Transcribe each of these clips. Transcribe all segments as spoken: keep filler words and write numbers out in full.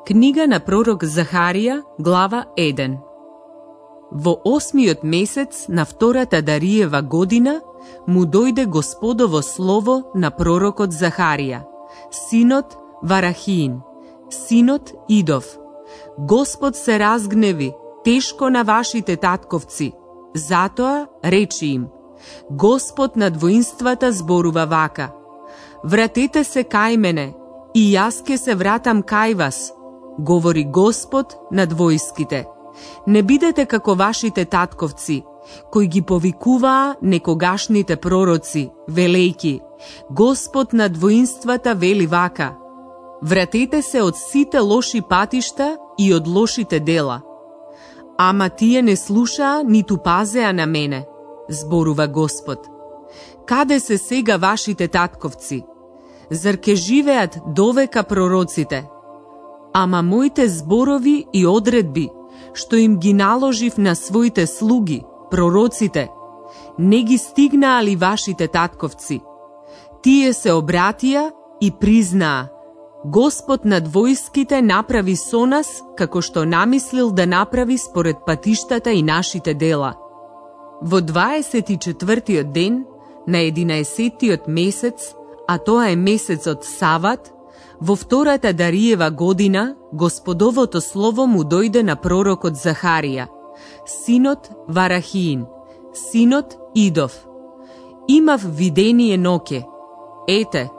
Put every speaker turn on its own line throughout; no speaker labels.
Книга на пророк Захарија, глава еден. Во осмиот месец на втората Дариева година му дојде Господово слово на пророкот Захарија, синот Варахиин, синот Идов. Господ се разгневи тешко на вашите татковци, затоа речи им: Господ над воинствата зборува вака: вратете се кај мене, и јас ке се вратам кај вас, говори Господ над војските. Не бидете како вашите татковци, кои ги повикуваа некогашните пророци, велејки: Господ над воинствата вели вака: вратете се од сите лоши патишта и од лошите дела. Ама тие не слушаа ниту пазеа на мене, зборува Господ. Каде се сега вашите татковци? Зар ке живеат довека пророците? Ама моите зборови и одредби, што им ги наложив на своите слуги, пророците, не ги стигнаа ли вашите татковци? Тие се обратија и признаа: Господ над војските направи со нас како што намислил да направи според патиштата и нашите дела. Во дваесет и четвртиот ден на единаесеттиот месец, а тоа е месецот Сават, во втората Дариева година, Господовото слово му дојде на пророкот Захарија, синот Варахиин, синот Идов. Имав видение ноќе. Ете,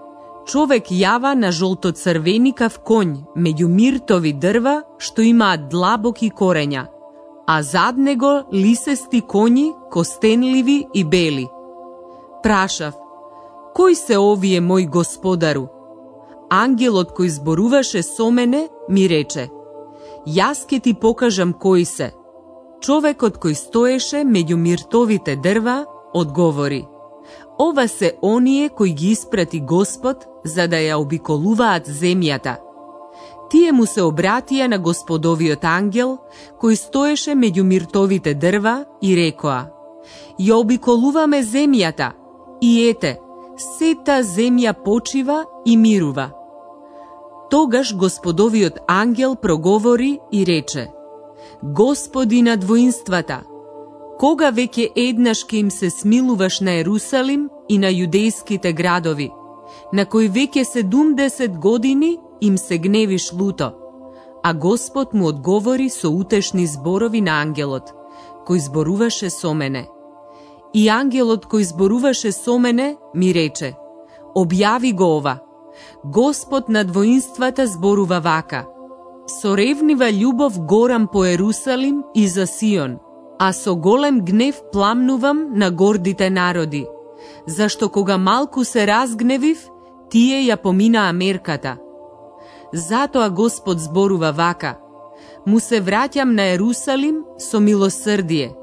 човек јава на жолтоцрвеникав конј меѓу миртови дрва што имаат длабоки корења, а зад него лисести коњи, костенливи и бели. Прашав: кој се овие, мој господару? Ангелот кој зборуваше со мене ми рече: јас ке ти покажам кој се. Човекот кој стоеше меѓу миртовите дрва одговори: ова се оние кои ги испрати Господ за да ја обиколуваат земјата. Тие му се обратија на Господовиот ангел кој стоеше меѓу миртовите дрва и рекоа: ја обиколуваме земјата и ете, сета земја почива и мирува. Тогаш Господовиот ангел проговори и рече: Господи над воинствата, кога веќе еднаш ке им се смилуваш на Ерусалим и на јудејските градови, на кои веќе седумдесет години им се гневиш люто? А Господ му одговори со утешни зборови на ангелот, кој зборуваше со мене. И ангелот кој зборуваше со мене ми рече: објави го ова. Господ над воинствата зборува вака: со ревнива љубов горам по Ерусалим и за Сион, а со голем гнев пламнувам на гордите народи, зашто кога малку се разгневив, тие ја поминаа мерката. Затоа Господ зборува вака: му се враќам на Ерусалим со милосрдие,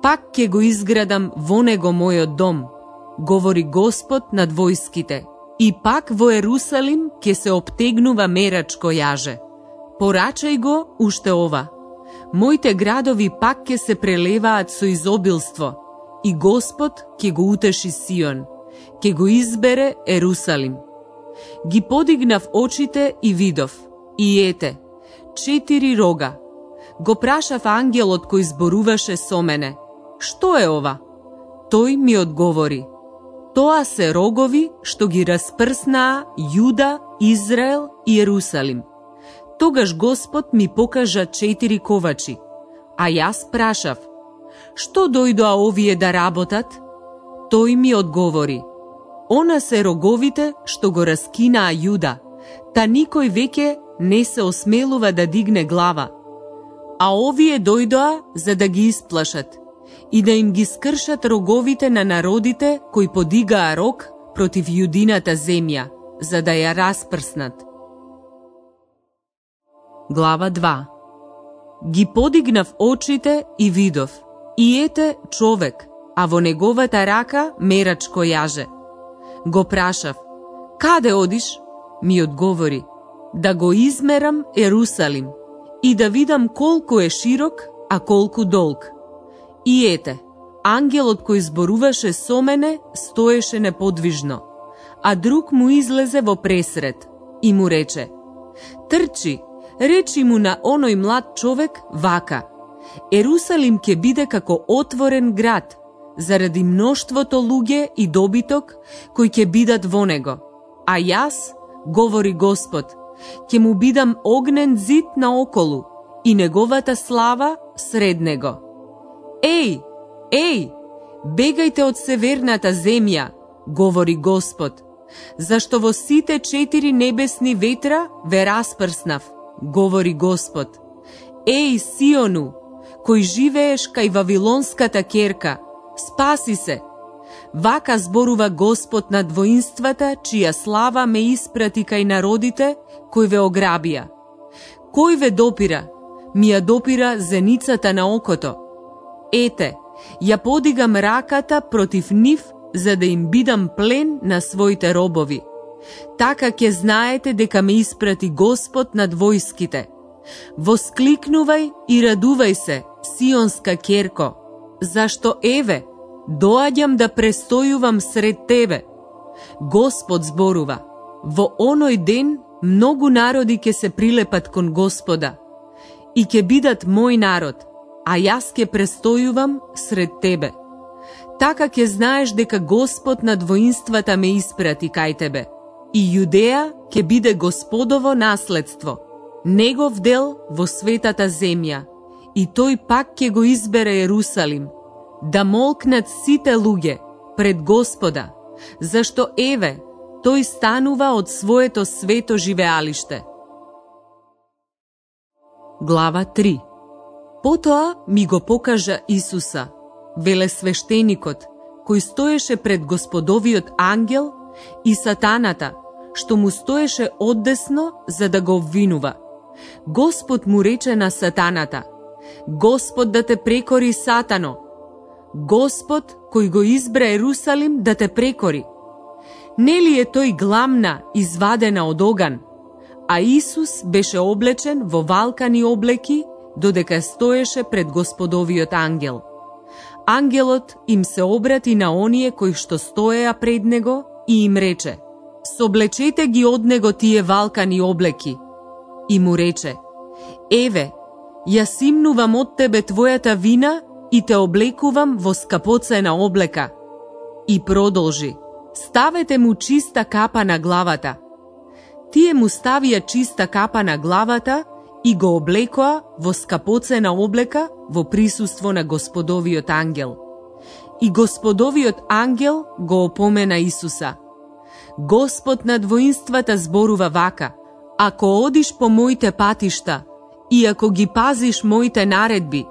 пак ќе го изградам во него мојот дом, говори Господ над војските, и пак во Ерусалим ќе се обтегнува мерачко јаже. Порачај го уште ова: моите градови пак ќе се прелеваат со изобилство, и Господ ќе го утеши Сион, ќе го избере Ерусалим. Ги подигнав очите и видов, и ете, четири рога. Го прашав ангелот кој зборуваше со мене: што е ова? Тој ми одговори: тоа се рогови што ги распрснаа Јуда, Израел и Ерусалим. Тогаш Господ ми покажа четири ковачи, а јас прашав: што дојдоа овие да работат? Тој ми одговори: она се роговите што го раскинаа Јуда, та никој веќе не се осмелува да дигне глава. А овие дојдоа за да ги исплашат и да им ги скршат роговите на народите кои подигаа рог против јудината земја, за да ја распрснат. Глава два. Ги подигнав очите и видов, и ете човек, а во неговата рака мерачко јаже. Го прашав: каде одиш? Ми одговори: да го измерам Ерусалим и да видам колку е широк, а колку долг. И ете, ангелот кој зборуваше со мене стоеше неподвижно, а друг му излезе во пресред и му рече: трчи, речи му на оној млад човек вака: Ерусалим ќе биде како отворен град, заради мноштвото луѓе и добиток кои ќе бидат во него. А јас, говори Господ, ќе му бидам огнен зид наоколу и неговата слава сред него. Еј, еј, бегајте од северната земја, говори Господ, зашто во сите четири небесни ветра ве распрснав, говори Господ. Еј, Сиону, кој живееш кај Вавилонската керка, спаси се. Вака зборува Господ над воинствата, чија слава ме испрати кај народите кои ве ограбија. Кој ве допира? Ми ја допира зеницата на окото. Ете, ја подигам раката против нив, за да им бидам плен на своите робови. Така ќе знаете дека ме испрати Господ над војските. Воскликнувај и радувај се, Сионска керко, зашто еве, доаѓам да престојувам сред тебе. Господ зборува: во оној ден многу народи ќе се прилепат кон Господа и ќе бидат мој народ, а јас ќе престојувам сред тебе. Така ќе знаеш дека Господ над воинствата ме испрати кај тебе, и Јудеја ќе биде Господово наследство, негов дел во светата земја, и тој пак ќе го избере Ерусалим, да молкнат сите луѓе пред Господа, зашто еве, тој станува од своето свето живеалиште. Глава три. Потоа ми го покажа Исуса, велесвештеникот, кој стоеше пред Господовиот ангел, и сатаната, што му стоеше оддесно за да го обвинува. Господ му рече на сатаната: Господ да те прекори, Сатано! Господ кој го избра Ерусалим да те прекори. Нели е тој гламна извадена од оган? А Исус беше облечен во валкани облеки, додека стоеше пред Господовиот ангел. Ангелот им се обрати на оние кои што стоеа пред него и им рече: соблечете ги од него тие валкани облеки. И му рече: еве, јас имнувам од тебе твојата вина и те облекувам во скапоцена облека. И продолжи: ставете му чиста капа на главата. Тие му ставија чиста капа на главата и го облекоа во скапоцена облека во присуство на Господовиот ангел. И Господовиот ангел го опомена Исуса: Господ над воинствата зборува вака: ако одиш по моите патишта и ако ги пазиш моите наредби,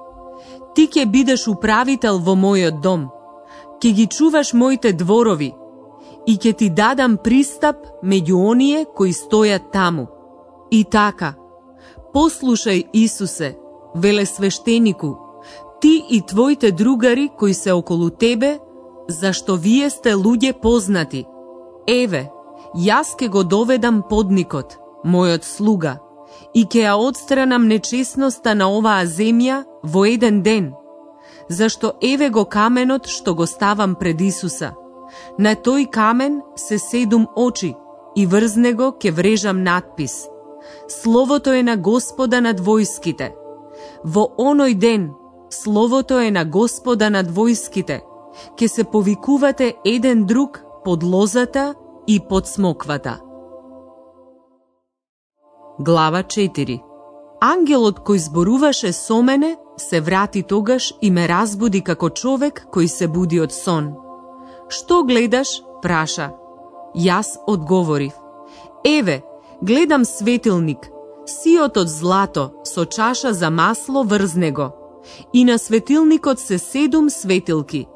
ти ќе бидеш управител во мојот дом, ќе ги чуваш моите дворови и ќе ти дадам пристап меѓу оние кои стојат таму. И така, послушај, Исусе, велесвештенику, ти и твоите другари кои се околу тебе, зашто вие сте луѓе познати. Еве, јас ке го доведам подникот, мојот слуга, и ќе ја отстранам нечесноста на оваа земја во еден ден, зашто еве го каменот што го ставам пред Исуса. На тој камен се седум очи и врз него ќе врежам надпис: Словото е на Господа над војските. Во оној ден Словото е на Господа над војските. Ќе се повикувате еден друг под лозата и под смоквата. Глава четири. Ангелот кој зборуваше со мене се врати тогаш и ме разбуди како човек кој се буди од сон. Што гледаш? Праша. Јас одговорив: еве, гледам светилник, сиот од злато со чаша за масло врз него, и на светилникот се седум светилки,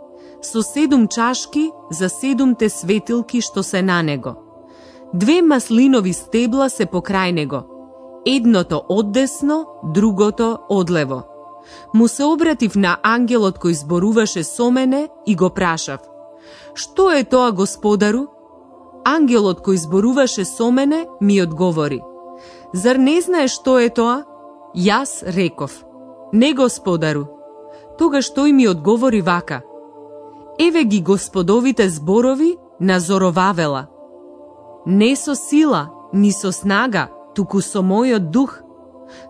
со седум чашки за седумте светилки што се на него. Две маслинови стебла се покрај него, едното оддесно, другото одлево. Му се обратив на ангелот кој зборуваше со мене и го прашав: што е тоа, Господару? Ангелот кој зборуваше со мене ми одговори: зар не знаеш што е тоа? Јас реков: не, Господару. Тогаш тој ми одговори вака: еве ги Господовите зборови на Зоровавела. Не со сила, ни со снага, туку со мојот дух.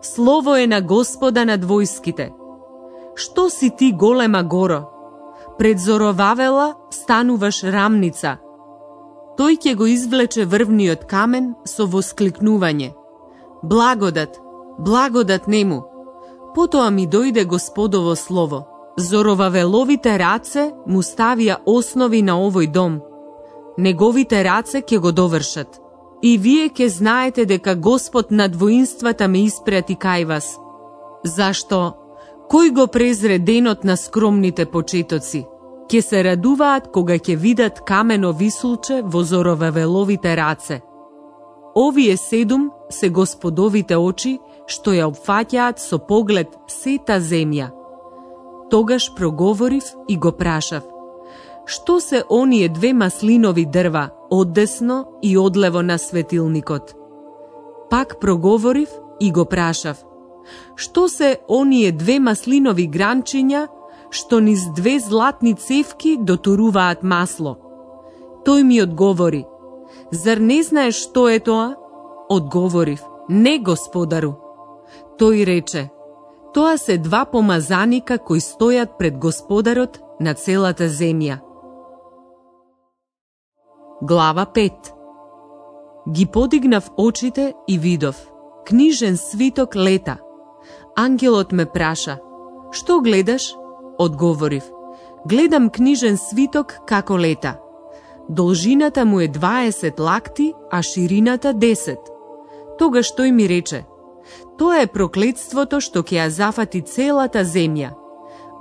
слово е на Господа над војските. Што си ти, голема горо? Пред Зоровавела стануваш рамница. Тој ќе го извлече врвниот камен со воскликнување. Благодат, благодат нему. Потоа ми дојде Господово слово. Зоровавеловите раце му ставија основи на овој дом. Неговите раце ќе го довршат. И вие ќе знаете дека Господ над воинствата ме испрати кај вас. Зашто? Кој го презре денот на скромните почетоци? Ќе се радуваат кога ќе видат камено висулче во Зоровавеловите раце. Овие седум се Господовите очи, што ја опфаќаат со поглед сета земја. Тогаш проговорив и го прашав: што се оние две маслинови дрва оддесно и одлево на светилникот? Пак проговорив и го прашав: што се оние две маслинови гранчиња што низ две златни цевки дотуруваат масло? Тој ми одговори: зар не знаеш што е тоа? Одговорив: не, Господару. Тој рече: тоа се два помазаника кои стојат пред Господарот на целата земја. Глава пет. Ги подигнав очите и видов. Книжен свиток лета. Ангелот ме праша: што гледаш? Одговорив: гледам книжен свиток како лета. Должината му е дваесет лакти, а ширината десет. Тогаш тој ми рече: тоа е проклетството што ќе ја зафати целата земја.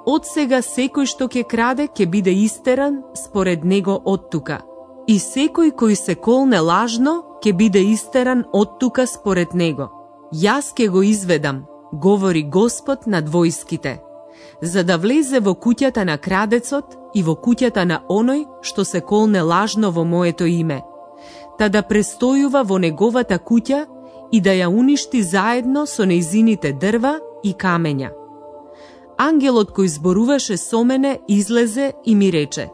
Од сега секој што ќе краде ќе биде истеран според него од тука. И секој кој се колне лажно ќе биде истеран од тука според него. Јас ќе го изведам, говори Господ над војските, за да влезе во куќата на крадецот и во куќата на оној што се колне лажно во моето име, та да престојува во неговата куќа и да ја уништи заедно со нејзините дрва и камења. Ангелот кој зборуваше со мене излезе и ми рече: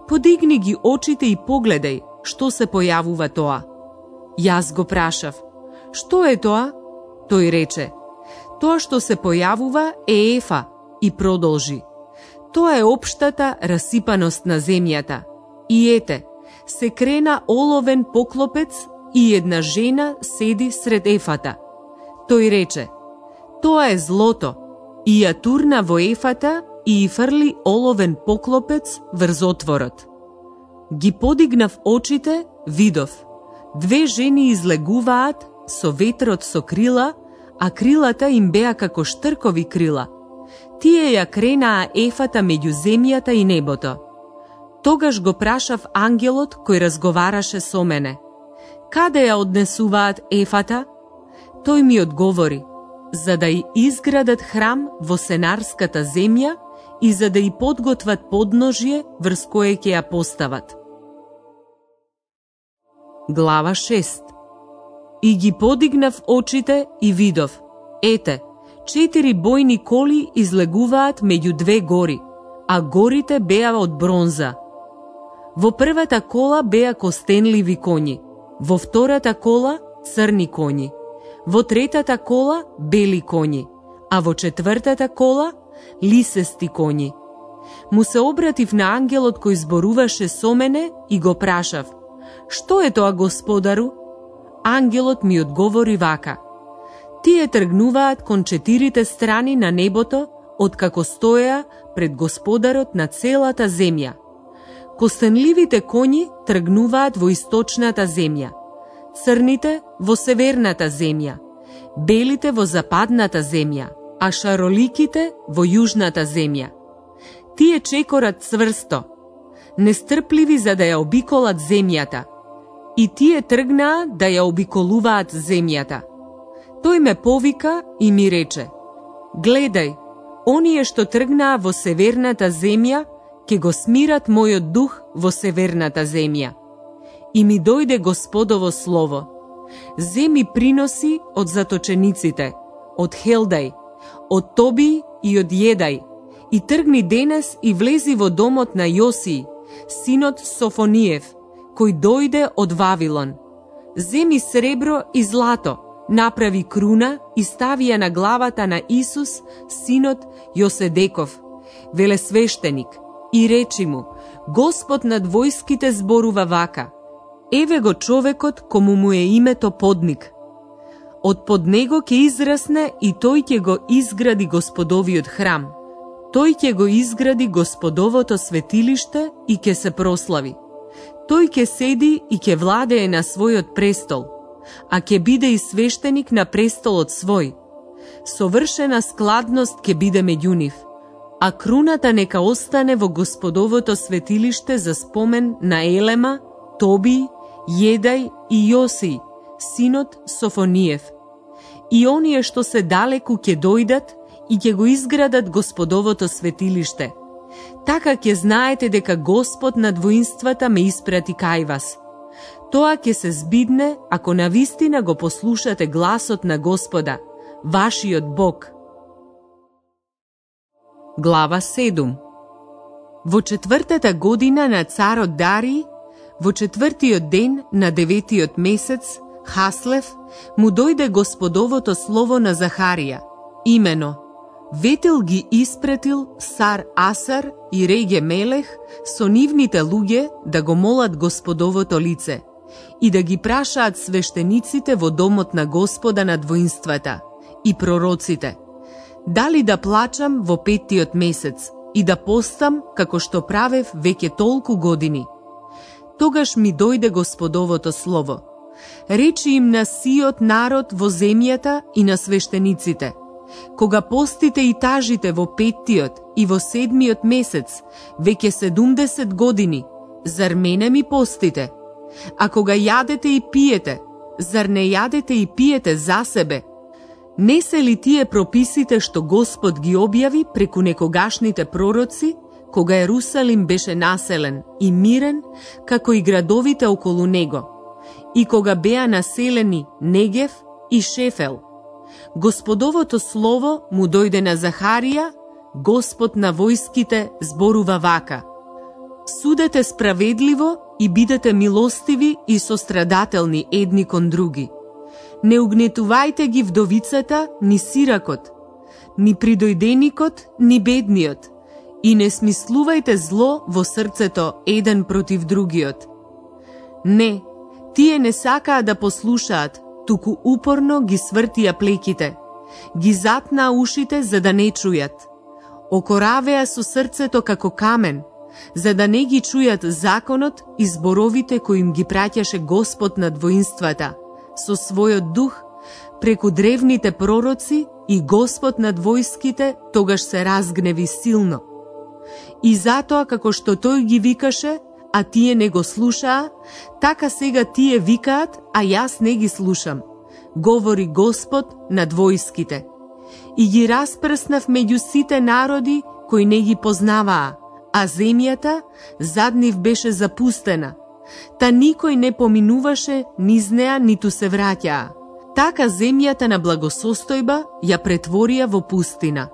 подигни ги очите и погледај што се појавува тоа. Јас го прашав: што е тоа? Тој рече: тоа што се појавува е Ефа, и продолжи: тоа е општата расипаност на земјата. И ете, се крена оловен поклопец и една жена седи сред Ефата. Тој рече: тоа е злото, и ја турна во Ефата и ја фрли оловен поклопец врз отворот. Ги подигнав очите, видов. Две жени излегуваат со ветрот со крила, а крилата им беа како штркови крила. Тие ја кренаа Ефата меѓу земјата и небото. Тогаш го прашав ангелот кој разговараше со мене: каде ја однесуваат Ефата? Тој ми одговори: за да ја изградат храм во Сенарската земја и за да ја подготват подножје врз кое ќе ја постават. Глава шест. И ги подигнав очите и видов. Ете, четири бојни коли излегуваат меѓу две гори, а горите беа од бронза. Во првата кола беа костенливи коњи, во втората кола црни коњи, во третата кола бели коњи, а во четвртата кола лисести коњи. Му се обратив на ангелот кој зборуваше со мене и го прашав: што е тоа, Господару? Ангелот ми одговори вака: тие тргнуваат кон четирите страни на небото, откако стоеа пред Господарот на целата земја. Костенливите коњи тргнуваат во источната земја, црните во северната земја, белите во западната земја, а шароликите во јужната земја. Тие чекорат цврсто, нестрпливи за да ја обиколат земјата, и тие тргнаа да ја обиколуваат земјата. Тој ме повика и ми рече: гледај, оние што тргнаа во северната земја, ќе го смират мојот дух во северната земја. И ми дојде Господово слово: земи приноси од заточениците, од Хелдај, од Тоби и од Једај, и тргни денес и влези во домот на Јосии, синот Софониев, кој дојде од Вавилон. Земи сребро и злато, Направи круна и стави ја на главата на Исус, синот Јоседеков, велесвештеник, и речи му: Господ над војските зборува вака: еве го човекот кому му е името подник. Од под него ќе израсне и тој ќе го изгради Господовиот храм. Тој ќе го изгради Господовото светилиште и ќе се прослави. Тој ќе седи и ќе владее на својот престол, а ќе биде и свештеник на престолот свој. Совршена складност ќе биде меѓу нив, а круната нека остане во Господовото светилиште за спомен на Елема, Тоби, Једај и Јосија, синот Софониев. И оние што се далеку ќе дојдат и ќе го изградат Господовото светилиште. Така ќе знаете дека Господ над воинствата ме испрати кај вас. Тоа ќе се збидне ако навистина го послушате гласот на Господа, вашиот Бог. Глава седум. Во четвртата година на царот Дарий, во четвртиот ден на деветиот месец, Хаслев, му дојде Господовото слово на Захарија, имено: Ветел ги испретил Сар Асар и Реге Мелех со нивните луѓе да го молат Господовото лице и да ги прашаат свештениците во домот на Господа над воинствата и пророците: дали да плачам во петтиот месец и да постам како што правев веќе толку години. Тогаш ми дојде Господовото слово: речи им на сиот народ во земјата и на свештениците: кога постите и тажите во петтиот и во седмиот месец, веќе седумдесет години, зар мене ми постите? А кога јадете и пиете, зар не јадете и пиете за себе? Не се ли тие прописите што Господ ги објави преку некогашните пророци, кога Ерусалим беше населен и мирен, како и градовите околу него, и кога беа населени Негев и Шефел? Господовото слово му дојде на Захарија, Господ на војските зборува вака: судете справедливо и бидете милостиви и сострадателни едни кон други. Не угнетувајте ги вдовицата, ни сиракот, ни придојденикот, ни бедниот, и не смислувајте зло во срцето еден против другиот. Не, тие не сакаа да послушаат, туку упорно ги свртија плеките, ги затнаа ушите за да не чујат. Окоравеа со срцето како камен, за да не ги чујат законот и зборовите кои им ги праќаше Господ над воинствата, со својот дух, преку древните пророци, и Господ над војските тогаш се разгневи силно. И затоа како што тој ги викаше, а тие не го слушаа, така сега тие викаат, а јас не ги слушам, говори Господ над војските. И ги распрснав меѓу сите народи кои не ги познаваа, а земјата зад нив беше запустена, та никој не поминуваше низ неа, ниту се враќаа. Така земјата на благосостојба ја претворија во пустина.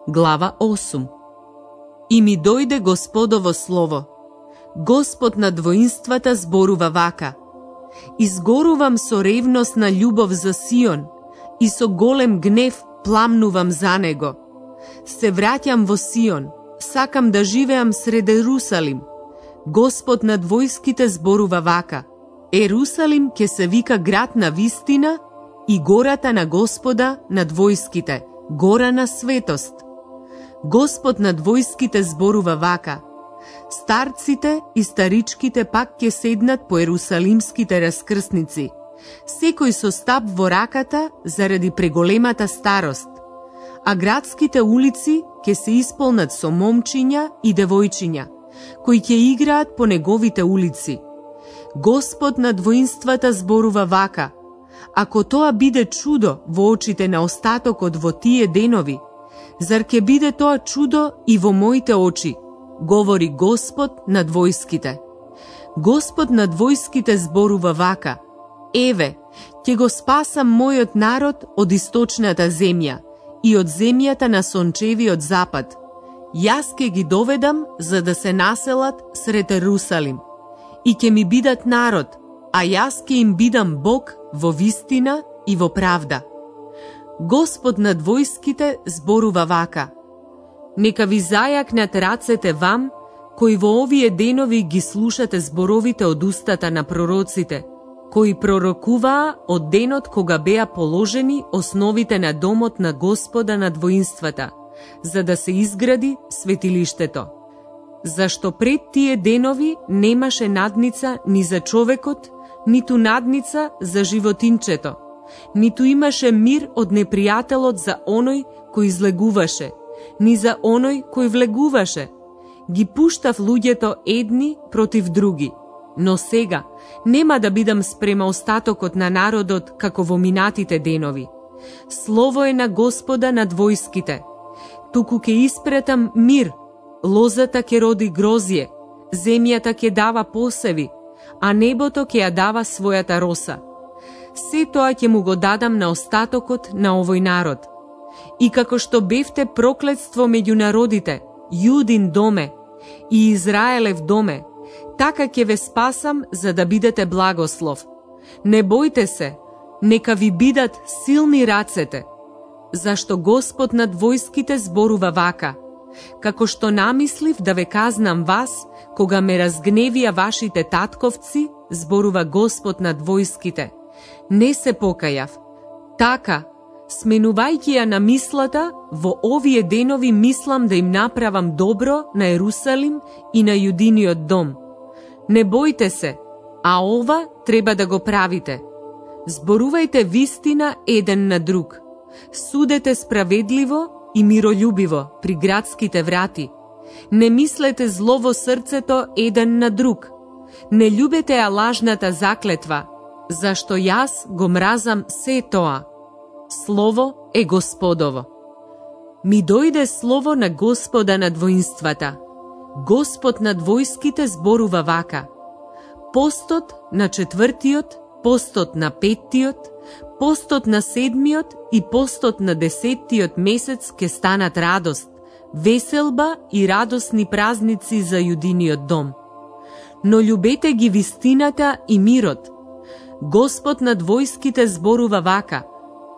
Глава осум. И ми дојде Господово слово: Господ над воинствата зборува вака: изгорувам со ревностна љубов за Сион и со голем гнев пламнувам за него. Се враќам во Сион, сакам да живеам сред Ерусалим. Господ над војските зборува вака: Ерусалим ќе се вика град на вистина и гората на Господа над војските, гора на светост. Господ над војските зборува вака: старците и старичките пак ќе седнат по ерусалимските раскрсници, секој со стап во раката заради преголемата старост, а градските улици ќе се исполнат со момчиња и девојчиња, кои ќе играат по неговите улици. Господ над воинствата зборува вака: ако тоа биде чудо во очите на остатокот во тие денови, зар ќе биде тоа чудо и во моите очи, говори Господ над војските. Господ над војските зборува вака: еве, ќе го спасам мојот народ од источната земја и од земјата на сончевиот запад. Јас ќе ги доведам за да се населат сред Ерусалим и ќе ми бидат народ, а јас ќе им бидам Бог во вистина и во правда. Господ над војските зборува вака: нека ви зајакнат рацете вам, кои во овие денови ги слушате зборовите од устата на пророците, кои пророкуваа од денот кога беа положени основите на домот на Господа над воинствата, за да се изгради светилиштето. Зашто пред тие денови немаше надница ни за човекот, ниту надница за животинчето, ниту имаше мир од непријателот за оној кој излегуваше, ни за оној кој влегуваше. Ги пуштав луѓето едни против други. Но сега нема да бидам спрема остатокот на народот како во минатите денови. Слово е на Господа над војските. Туку ќе испретам мир, лозата ќе роди грозје, земјата ќе дава посеви, а небото ќе ја дава својата роса. Се тоа ќе му го дадам на остатокот на овој народ. И како што бевте проклетство меѓу народите, Јудин доме и Израелев доме, така ќе ве спасам за да бидете благослов. Не бојте се, нека ви бидат силни рацете, зашто Господ над војските зборува вака: како што намислив да ве казнам вас, кога ме разгневија вашите татковци, зборува Господ над војските, не се покајав. Така, сменувајќи ја на мислата, во овие денови мислам да им направам добро на Ерусалим и на Јудиниот дом. Не бојте се, а ова треба да го правите. Зборувајте вистина еден на друг. Судете справедливо и миролюбиво при градските врати. Не мислете зло во срцето еден на друг. Не љубете ја лажната заклетва, зашто јас го мразам се тоа. Слово е Господово. Ми дојде слово на Господа над воинствата. Господ над војските зборува вака: постот на четвртиот, постот на петтиот, постот на седмиот и постот на десеттиот месец ќе станат радост, веселба и радосни празници за Јудиниот дом. Но љубете ги вистината и мирот. Господ над војските зборува вака: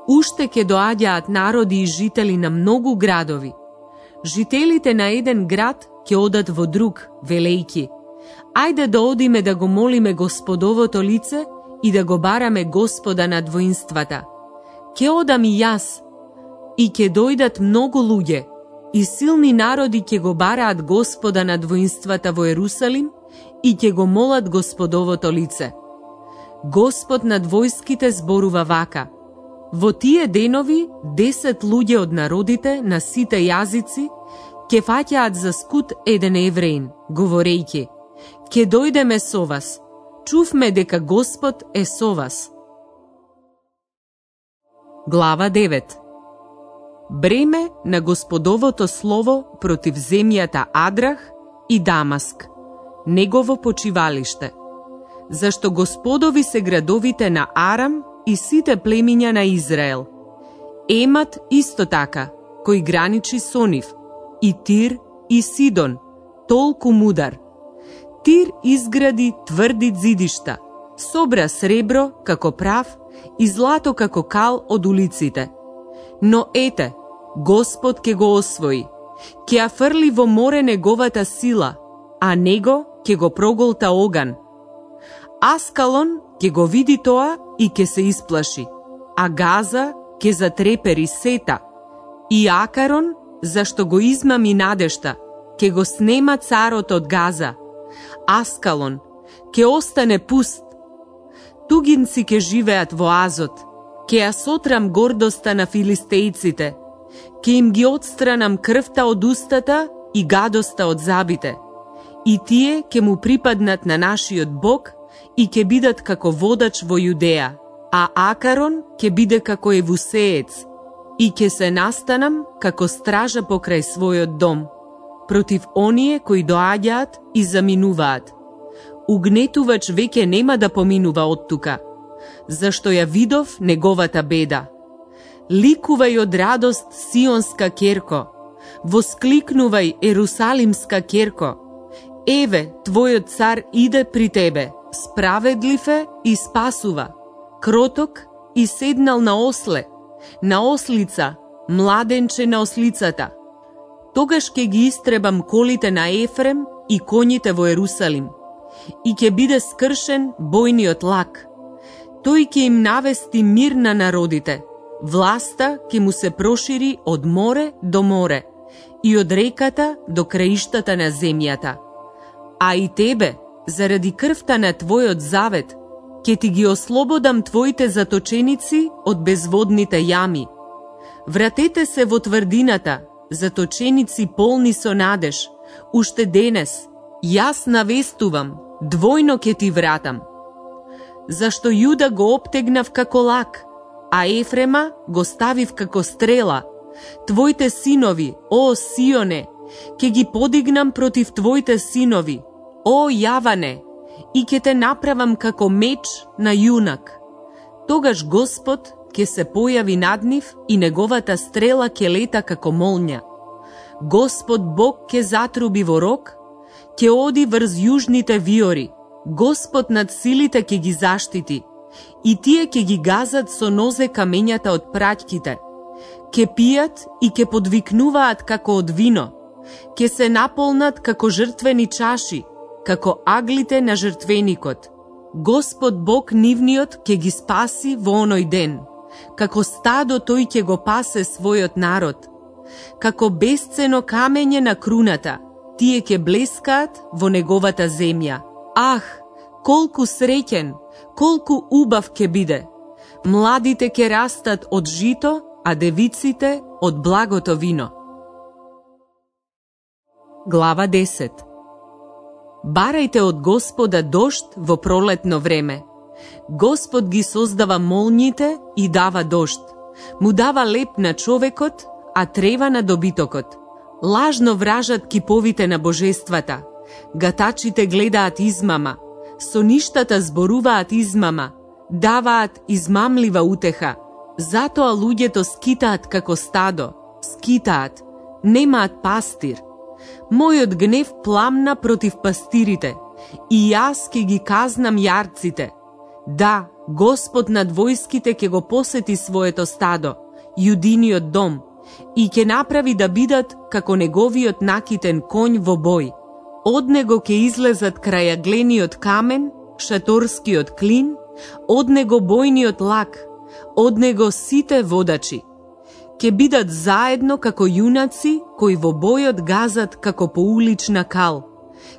уште ќе доаѓаат народи и жители на многу градови. Жителите на еден град ќе одат во друг, велејки: ајде да одиме да го молиме Господовото лице и да го бараме Господа над воинствата. Ќе одам и јас, и ќе дојдат многу луѓе, и силни народи ќе го бараат Господа над воинствата во Ерусалим и ќе го молат Господовото лице. Господ над војските зборува вака: во тие денови десет луѓе од народите на сите јазици ќе фаќаат за скут еден евреин, говорејќи: ќе дојдеме со вас, чувме дека Господ е со вас. Глава девет. Бреме на Господовото слово против земјата Адрах и Дамаск, негово почивалиште. Зашто Господови се градовите на Арам и сите племиња на Израел. Емат исто така, кој граничи со нив, и Тир и Сидон, толку мудар. Тир изгради тврди зидишта, собра сребро како прав и злато како кал од улиците. Но ете, Господ ќе го освои, ќе ја фрли во море неговата сила, а него ќе го проголта оган. Аскалон ќе го види тоа и ќе се исплаши, а Газа ќе затрепери сета, и Акарон, зашто го измами надешта, ќе го снема царот од Газа. Аскалон ќе остане пуст. Тугинци ќе живеат во Азот, ќе ја сотрам гордоста на филистејците, ќе им ги отстранам крвта од устата и гадоста од забите. И тие ќе му припаднат на нашиот Бог и ќе бидат како водач во Јудеја, а Акарон ќе биде како евусеец, и ќе се настанам како стража покрај својот дом, против оние кои доаѓаат и заминуваат. Угнетувач веќе нема да поминува од тука, зашто ја видов неговата беда. Ликувај од радост, Сионска керко, воскликнувај, Ерусалимска керко. Еве, твојот цар иде при тебе, справедлив е и спасува, кроток и седнал на осле, на ослица, младенче на ослицата. Тогаш ќе ги истребам колите на Ефрем и коњите во Ерусалим, и ќе биде скршен бојниот лак. Тој ќе им навести мир на народите, власта ќе му се прошири од море до море и од реката до краиштата на земјата. А и тебе, заради крвта на твојот завет, ќе ти ги ослободам твоите заточеници од безводните јами. Вратете се во тврдината, заточеници полни со надеж, уште денес, јас навестувам, двојно ќе ти вратам. Зашто Јуда го обтегнав како лак, а Ефрема го ставив како стрела. Твоите синови, о Сионе, ќе ги подигнам против твоите синови, о Јаване, и ќе те направам како меч на јунак. Тогаш Господ ќе се појави над нив и неговата стрела ќе лета како молња. Господ Бог ќе затруби во рог, ќе оди врз јужните виори, Господ над силите ќе ги заштити, и тие ќе ги газат со нозе камењата од праќките. Ке пијат и ке подвикнуваат како од вино, ке се наполнат како жртвени чаши, како аглите на жртвеникот. Господ Бог нивниот ке ги спаси во оној ден, како стадо тој ќе го пасе својот народ. Како бесцено камење на круната, тие ќе блескаат во неговата земја. Ах, колку среќен, колку убав ќе биде! Младите ќе растат од жито, а девиците од благото вино. Глава десет. Барајте од Господа дожд во пролетно време. Господ ги создава молњите и дава дожд. Му дава леп на човекот, а трева на добитокот. Лажно вражат киповите на божествата. Гатачите гледаат измама. Соништата зборуваат измама. Даваат измамлива утеха. Затоа луѓето скитаат како стадо. Скитаат. Немаат пастир. Мојот гнев пламна против пастирите, и јас ќе ги казнам јарците. Да, Господ над војските ќе го посети своето стадо, јудиниот дом, и ќе направи да бидат како неговиот накитен конј во бој. Од него ќе излезат крајаглениот камен, шаторскиот клин, од него бојниот лак, од него сите водачи. Ке бидат заедно како јунаци кои во бојот газат како по улична кал.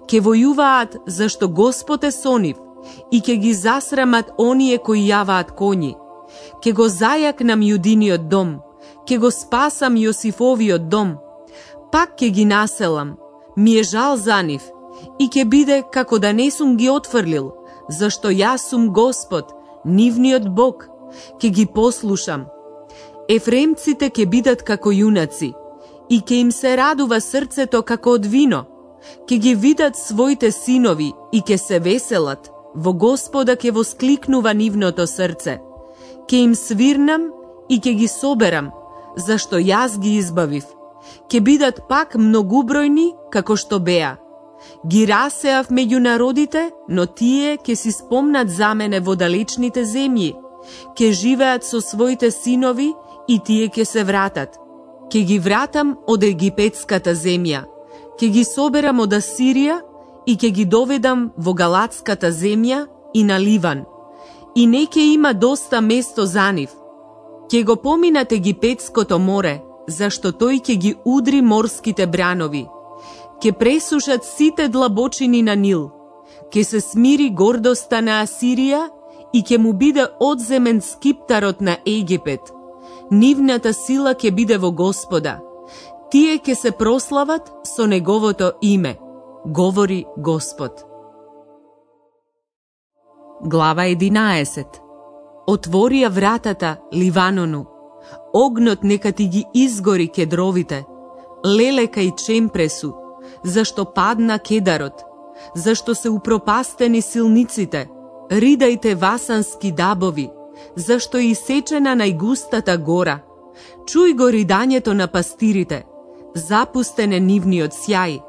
Ке војуваат зашто Господ е со нив и ке ги засрамат оние кои јаваат коњи. Ке го зајакнам јудиниот дом, ке го спасам Јосифовиот дом. Пак ке ги населам, ми е жал за нив, и ке биде како да не сум ги отфрлил, зашто јас сум Господ, нивниот Бог, ке ги послушам. Ефремците ќе бидат како јунаци, и ќе им се радува срцето како од вино. Ќе ги видат своите синови и ќе се веселат, во Господа ќе воскликнува нивното срце. Ќе им свирнам и ќе ги соберам, зашто јас ги избавив. Ќе бидат пак многубројни како што беа. Ги расеав меѓу народите, но тие ќе си спомнат за мене во далечните земји. Ќе живеат со своите синови и тие ќе се вратат. Ке ги вратам од египетската земја. Ке ги соберам од Асирија и ке ги доведам во галатската земја и на Ливан. И не ке има доста место за нив. Ке го поминат египетското море, зашто тој ке ги удри морските бранови. Ке пресушат сите длабочини на Нил. Ке се смири гордоста на Асирија и ке му биде одземен скиптарот на Египет. Нивната сила ќе биде во Господа. Тие ќе се прослават со неговото име, говори Господ. Глава единаесет. Отворија вратата Ливанону. Огнот нека ти ги изгори кедровите. Лелека и чемпресу, зашто падна кедарот, зашто се упропастени силниците. Ридајте васански дабови, зашто е исечена најгустата гора. Чуј го ридањето на пастирите, запустен е нивниот сјај.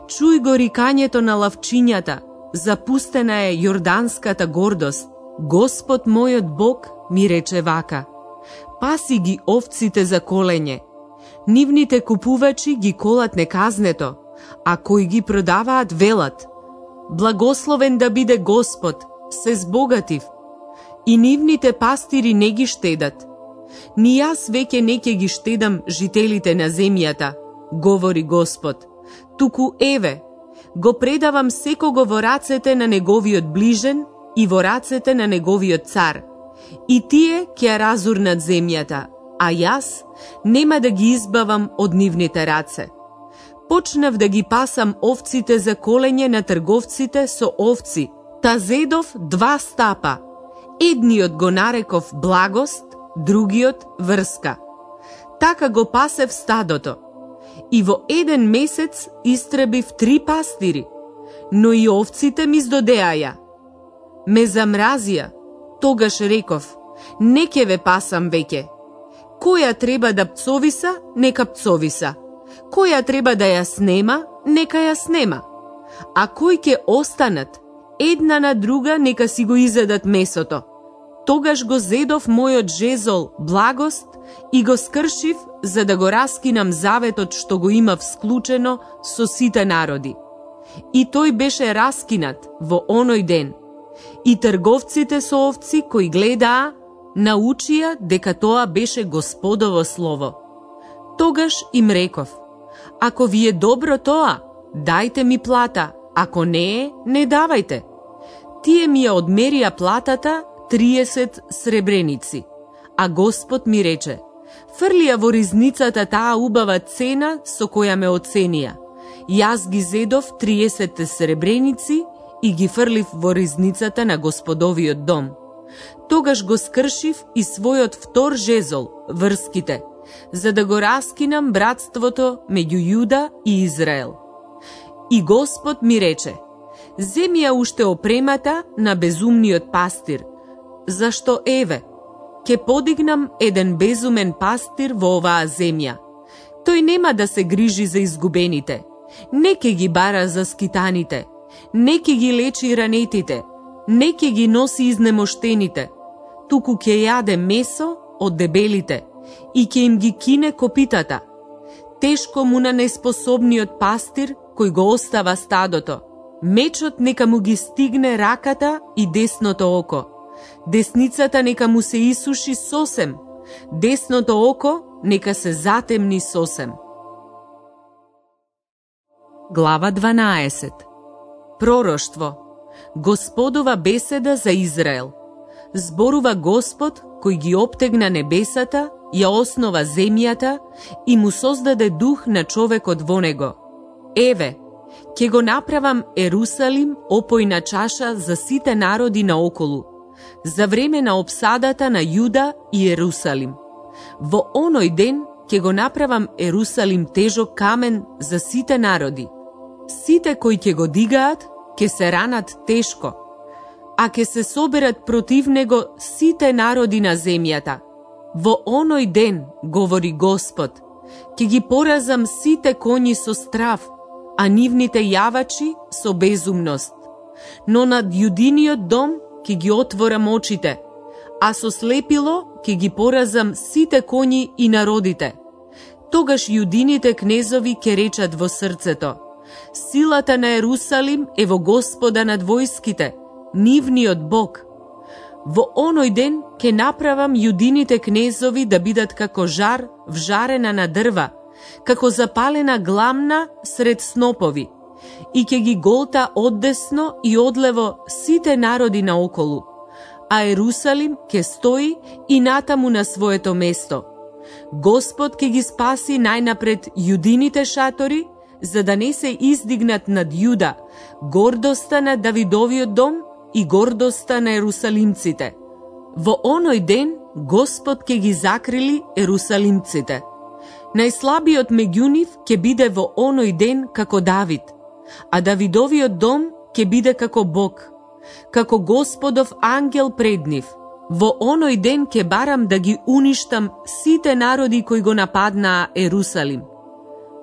Чуј го рикањето на лавчињата, запустена е јорданската гордост, Господ мојот Бог ми рече вака: паси ги овците за колење. Нивните купувачи ги колат неказнето, а кои ги продаваат велат: благословен да биде Господ, се збогатив. И нивните пастири не ги штедат. Ни јас веќе не ќе ги штедам жителите на земјата, говори Господ. Туку еве, го предавам секого во рацете на неговиот ближен и во рацете на неговиот цар. И тие ќе ја разурнат земјата, а јас нема да ги избавам од нивните раце. Почнав да ги пасам овците за колење на трговците со овци, та зедов два стапа. Едниот го нареков благост, другиот врска. Така го пасев стадото. И во еден месец истребив три пастири, но и овците ми здодеаја. Ме замразија, тогаш реков: не ќе ве пасам веќе. Која треба да пцовиса, нека пцовиса. Која треба да ја снема, нека ја снема. А кои ќе останат, една на друга нека си го изедат месото. Тогаш го зедов мојот жезол благост и го скршив за да го раскинам заветот што го имав склучено со сите народи. И тој беше раскинат во оној ден. И трговците со овци кои гледаа, научија дека тоа беше Господово слово. Тогаш им реков: ако ви е добро тоа, дајте ми плата, ако не е, не давајте. Тие ми ја одмерија платата триесет сребреници, а Господ ми рече: фрлија во ризницата таа убава цена со која ме оценија. Јас ги зедов триесет сребреници и ги фрлив во ризницата на Господовиот дом. Тогаш го скршив и својот втор жезол, врските, за да го раскинам братството меѓу Јуда и Израел. И Господ ми рече: земи ја уште опремата на безумниот пастир, зашто еве, ќе подигнам еден безумен пастир во оваа земја. Тој нема да се грижи за изгубените, не ќе ги бара за скитаните, не ќе ги лечи ранетите, не ќе ги носи изнемоштените, туку ќе јаде месо од дебелите и ќе им ги кине копитата. Тешко му на неспособниот пастир кој го остава стадото. Мечот нека му ги стигне раката и десното око. Десницата нека му се исуши сосем, десното око нека се затемни сосем. Глава дванаесет. Пророштво. Господова беседа за Израел. Зборува Господ кој ги обтегна небесата, ја основа земјата и му создаде дух на човекот во него. Еве, ќе го направам Ерусалим опојна чаша за сите народи наоколу, за време на обсадата на Јуда и Ерусалим. Во оној ден ќе го направам Ерусалим тежок камен за сите народи. Сите кои ќе го дигаат, ќе се ранат тешко, а ќе се соберат против него сите народи на земјата. Во оној ден, говори Господ, ќе ги поразам сите коњи со страв, а нивните јавачи со безумност. Но над јудиниот дом ќе ги отворам очите, а со слепило ќе ги поразам сите коњи и народите. Тогаш јудините кнезови ќе речат во срцето: силата на Ерусалим е во Господа над војските, нивниот Бог. Во оној ден ќе направам јудините кнезови да бидат како жар вжарена на дрва, како запалена гламна сред снопови, и ќе ги голта оддесно и одлево сите народи наоколу, а Ерусалим ќе стои и натаму на своето место. Господ ќе ги спаси најнапред јудините шатори, за да не се издигнат над Јуда гордоста на Давидовиот дом и гордоста на ерусалимците. Во оној ден Господ ќе ги закрили ерусалимците. Најслабиот меѓу нив ќе биде во оној ден како Давид, а Давидовиот дом ќе биде како Бог, како Господов ангел пред нив. Во оној ден ќе барам да ги уништам сите народи кои го нападнаа Ерусалим.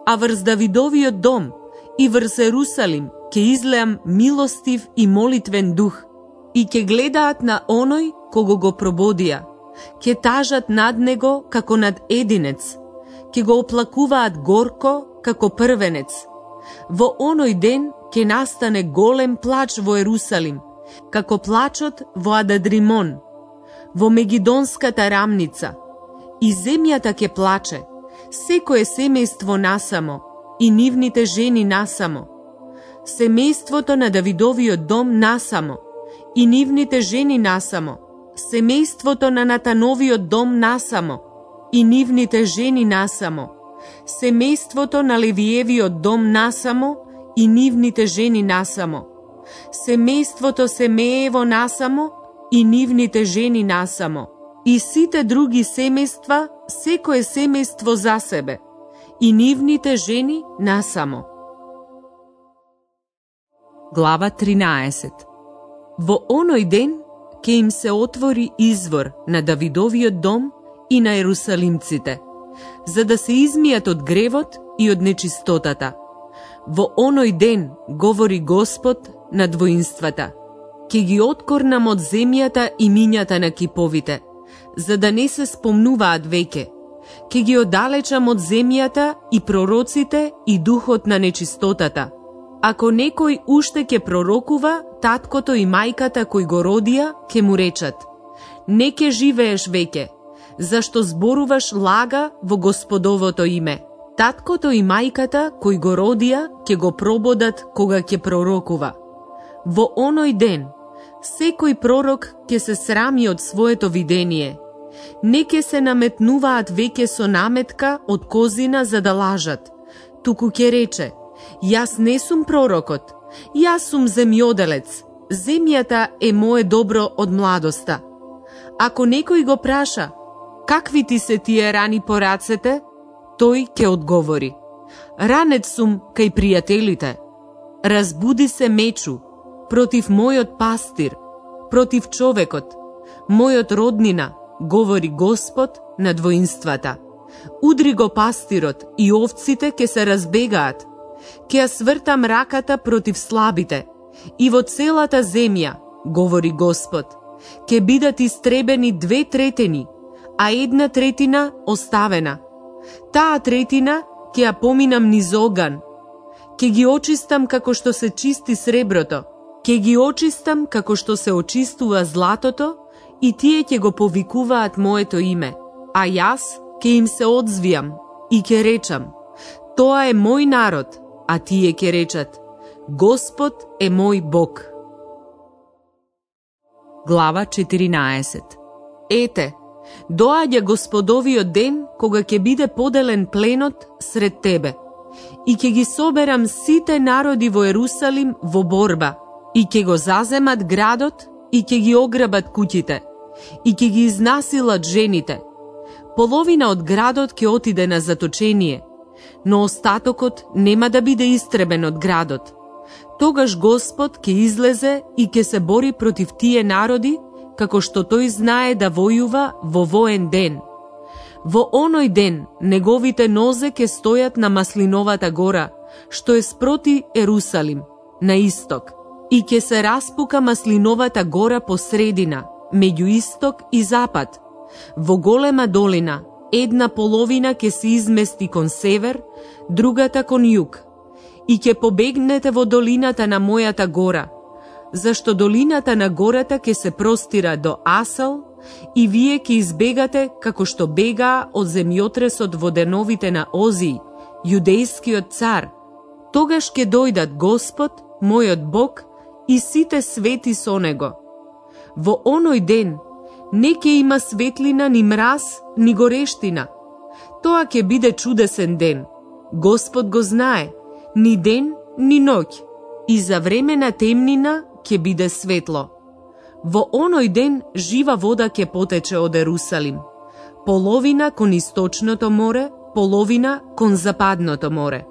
А врз Давидовиот дом и врз Ерусалим ке излеам милостив и молитвен дух и ке гледаат на оној кого го прободија, ке тажат над него како над единец, ке го оплакуваат горко како првенец. Во оној ден ке настане голем плач во Ерусалим, како плачот во Ададримон, во Мегидонската рамница. И земјата ке плаче, секое семејство насамо, и нивните жени насамо. Семејството на Давидовиот дом насамо, и нивните жени насамо. Семејството на Натановиот дом насамо, и нивните жени насамо. Семејството на Левиевиот дом насамо, и нивните жени насамо. Семејството Семеево насамо, и нивните жени насамо. И сите други семејства, секое семејство за себе, и нивните жени насамо. Глава тринаесет. Во оној ден ке им се отвори извор на Давидовиот дом и на ерусалимците, за да се измијат од гревот и од нечистотата. Во оној ден, говори Господ на двоинствата, ке ги откорнам од земјата и мињата на киповите, за да не се спомнуваат веќе. Ке ги оддалечам од земјата и пророците и духот на нечистотата. Ако некој уште ке пророкува, таткото и мајката кои го родија ке му речат: не ке живееш веќе, зашто зборуваш лага во Господовото име. Таткото и мајката кои го родија ке го прободат кога ќе пророкува. Во оној ден, секој пророк ке се срами од своето видение. Не ке се наметнуваат веќе со наметка од козина за да лажат, туку ке рече: јас не сум пророкот, јас сум земјоделец, земјата е мое добро од младоста. Ако некој го праша: какви ти се тие рани по рацете? Тој ќе одговори: ранет сум кај пријателите. Разбуди се мечу против мојот пастир, против човекот, мојот роднина, говори Господ на двоинствата. Удри го пастирот и овците ке се разбегаат. Ке ја свртам раката против слабите и во целата земја, говори Господ, ке бидат истребени две третини, а една третина оставена. Таа третина ке ја поминам низ оган. Ке ги очистам како што се чисти среброто, ке ги очистам како што се очистува златото, и тие ќе го повикуваат моето име, а јас ке им се одзвијам и ке речам: тоа е мој народ, а тие ке речат: Господ е мој Бог. Глава четиринаесет. Ете, доаѓа Господовиот ден кога ќе биде поделен пленот сред тебе, и ќе ги соберам сите народи во Ерусалим во борба, и ќе го заземат градот, и ќе ги ограбат куќите, и ќе ги изнасилат жените. Половина од градот ќе отиде на заточение, но остатокот нема да биде истребен од градот. Тогаш Господ ќе излезе и ќе се бори против тие народи, како што тој знае да војува во воен ден. Во оној ден неговите нозе ќе стојат на Маслиновата гора, што е спроти Ерусалим, на исток, и ќе се распука Маслиновата гора по средина, меѓу исток и запад. Во голема долина, една половина ќе се измести кон север, другата кон југ. И ќе побегнете во долината на мојата гора, зашто долината на гората ќе се простира до Асал, и вие ќе избегате како што бегаа од земјотресот во деновите на Озии, јудејскиот цар. Тогаш ќе дојдат Господ, мојот Бог, и сите свети со него. Во оној ден не ќе има светлина, ни мраз, ни горештина. Тоа ќе биде чудесен ден. Господ го знае, ни ден, ни ноќ, и за време на темнина ќе биде светло. Во оној ден жива вода ќе потече од Ерусалим, половина кон источното море, половина кон западното море.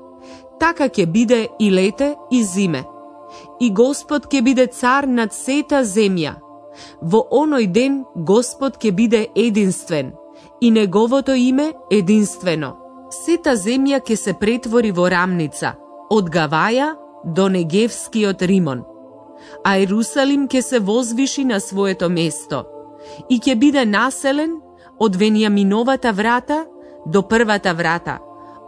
Така ќе биде и лете и зиме. И Господ ќе биде цар над сета земја. Во оној ден Господ ќе биде единствен, и неговото име единствено. Сета земја ќе се претвори во рамница, од Гаваја до Негевскиот Римон, а Ерусалим ќе се возвиши на своето место и ќе биде населен од Венијаминовата врата до првата врата,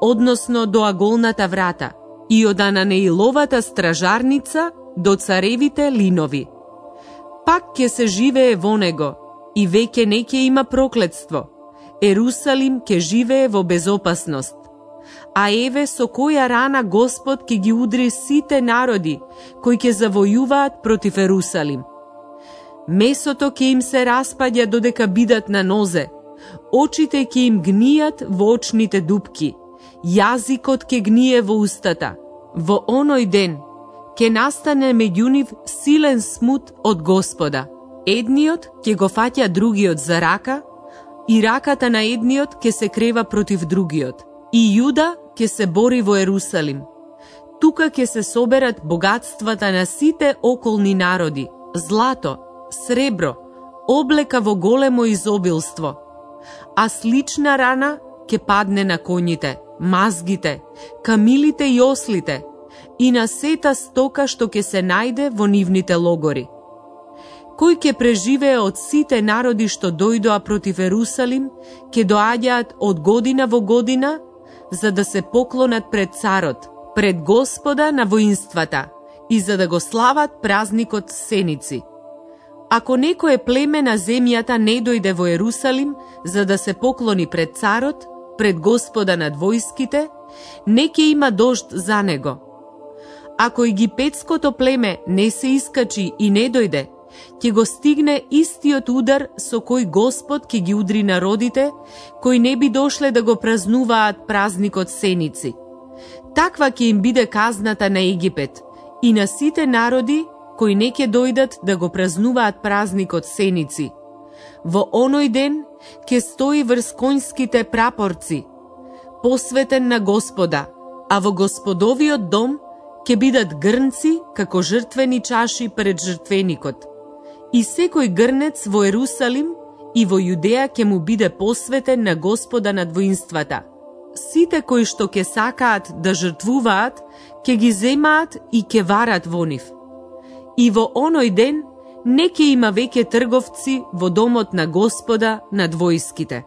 односно до Аголната врата, и од Ананеиловата стражарница до царевите линови. Пак ќе се живее во него и веќе не ќе има проклетство. Ерусалим ќе живее во безопасност. А еве со која рана Господ ќе ги удри сите народи кои ќе завојуваат против Ерусалим. Месото ќе им се распаѓа додека бидат на нозе, очите ќе им гнијат во очните дупки, јазикот ќе гние во устата. Во оној ден ќе настане меѓу нив силен смут од Господа. Едниот ќе го фаќа другиот за рака, и раката на едниот ќе се крева против другиот. И Јуда ќе се бори во Ерусалим. Тука ќе се соберат богатствата на сите околни народи, злато, сребро, облека во големо изобилство. А слична рана ќе падне на коњите, мазгите, камилите и ослите и на сета стока што ќе се најде во нивните логори. Кој ќе преживее од сите народи што дојдоа против Ерусалим, ќе доаѓаат од година во година, за да се поклонат пред царот, пред Господа на воинствата и за да го слават празникот Сеници. Ако некое племе на земјата не дојде во Ерусалим за да се поклони пред царот, пред Господа над војските, не ќе има дожд за него. Ако египетското племе не се искачи и не дојде, ќе го стигне истиот удар со кој Господ ќе ги удри народите, кои не би дошле да го празнуваат празникот Сеници. Таква ќе им биде казната на Египет и на сите народи кои не ќе дојдат да го празнуваат празникот Сеници. Во оној ден ќе стои врз конјските прапорци, посветен на Господа, а во Господовиот дом ќе бидат грнци како жртвени чаши пред жртвеникот. И секој грнец во Ерусалим и во Јудеја ќе му биде посветен на Господа над воинствата. Сите кои што ќе сакаат да жртвуваат, ќе ги земаат и ќе варат во нив. И во оној ден не ќе има веќе трговци во домот на Господа над војските.